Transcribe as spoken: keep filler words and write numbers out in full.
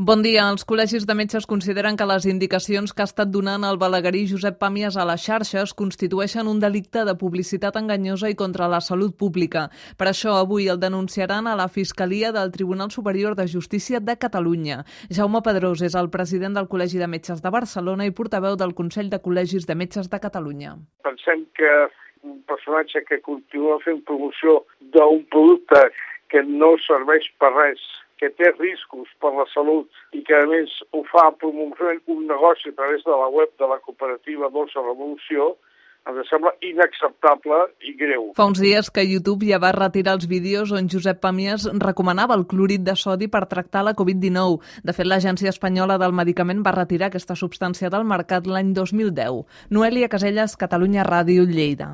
Bon dia. Els col·legis de metges consideren que les indicacions que ha estat donant el balaguerí Josep Pàmies a les xarxes constitueixen un delicte de publicitat enganyosa i contra la salut pública. Per això, avui el denunciaran a la Fiscalia del Tribunal Superior de Justícia de Catalunya. Jaume Pedrós és el president del Col·legi de Metges de Barcelona i portaveu del Consell de Col·legis de Metges de Catalunya. Pensem que un personatge que continua fent promoció d'un producte que no serveix per res, que té riscos per la salut i que, a més, ho fa promovent un negoci a través de la web de la cooperativa Dolça Revolució, ens sembla inacceptable i greu. Fa uns dies que YouTube ja va retirar els vídeos on Josep Pàmies recomanava el clorit de sodi per tractar la covid dinou. De fet, l'Agència Espanyola del Medicament va retirar aquesta substància del mercat l'any dos mil deu. Noelia Casellas, Catalunya Ràdio, Lleida.